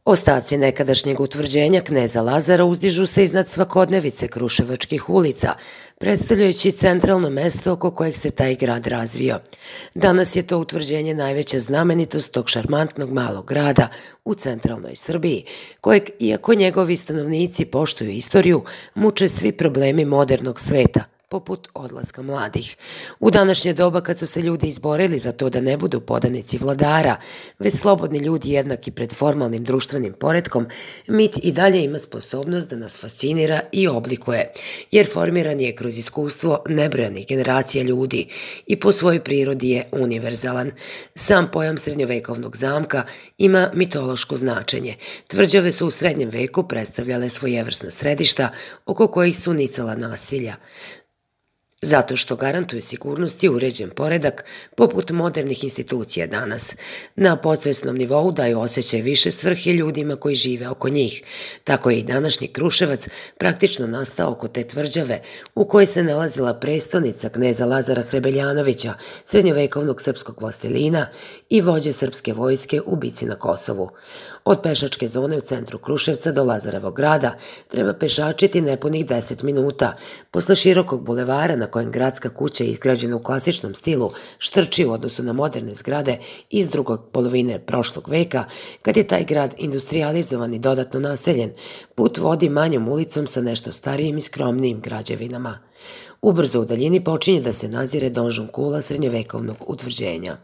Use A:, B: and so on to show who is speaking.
A: Ostaci nekadašnjeg utvrđenja kneza Lazara uzdižu se iznad svakodnevice kruševačkih ulica, predstavljajući centralno mesto oko kojeg se taj grad razvio. Danas je to utvrđenje najveća znamenitost tog šarmantnog malog grada u centralnoj Srbiji, kojeg, iako njegovi stanovnici poštuju istoriju, muče svi problemi modernog sveta, poput odlaska mladih. U današnje doba kad su se ljudi izborili za to da ne budu podanici vladara, već slobodni ljudi jednaki pred formalnim društvenim poretkom, mit i dalje ima sposobnost da nas fascinira i oblikuje, jer formiran je kroz iskustvo nebrojanih generacija ljudi i po svojoj prirodi je univerzalan. Sam pojam srednjovekovnog zamka ima mitološko značenje. Tvrđave su u srednjem veku predstavljale svojevrsna središta oko kojih su nicala nasilja, zato što garantuju sigurnost i uređen poredak poput modernih institucija danas. Na podsvesnom nivou daju osjećaj više svrhe ljudima koji žive oko njih. Tako je i današnji Kruševac praktično nastao oko te tvrđave u kojoj se nalazila prestonica kneza Lazara Hrebeljanovića, srednjovekovnog srpskog vlastelina i vođe srpske vojske u bici na Kosovu. Od pešačke zone u centru Kruševca do Lazarevog grada treba pešačiti nepunih 10 minuta. Posle širokog bulevara na kojem gradska kuća je izgrađena u klasičnom stilu štrči u odnosu na moderne zgrade iz drugog polovine prošlog veka, kad je taj grad industrijalizovan i dodatno naseljen, put vodi manjom ulicom sa nešto starijim i skromnijim građevinama. Ubrzo u daljini počinje da se nazire donžon kula srednjovekovnog utvrđenja.